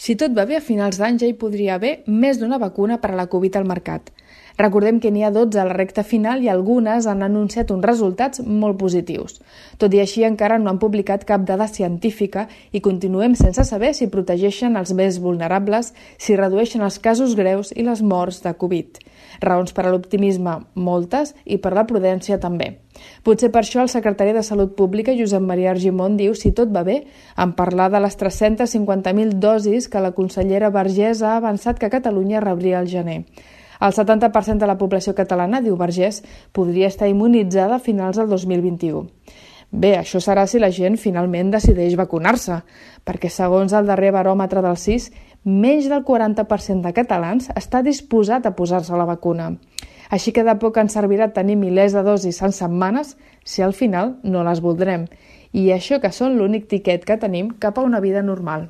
Si tot va bé, a finals d'any ja hi podria haver més d'una vacuna per a la Covid al mercat. Recordem que n'hi ha 12 a la recta final i algunes han anunciat uns resultats molt positius. Tot i així, encara no han publicat cap dada científica i continuem sense saber si protegeixen els més vulnerables, si redueixen els casos greus i les morts de Covid. Raons per a l'optimisme, moltes, i per la prudència també. Potser per això el secretari de Salut Pública, Josep Maria Argimon, diu, si tot va bé, en parlar de les 350.000 dosis que la consellera Vergés ha avançat que Catalunya rebria al gener. El 70% de la població catalana, diu Vergés, podria estar immunitzada a finals del 2021. Bé, això serà si la gent finalment decideix vacunar-se, perquè segons el darrer baròmetre del CIS, menys del 40% de catalans està disposat a posar-se la vacuna. Així que de poc ens servirà tenir milers de dosis en setmanes si al final no les voldrem. I això que són l'únic tiquet que tenim cap a una vida normal.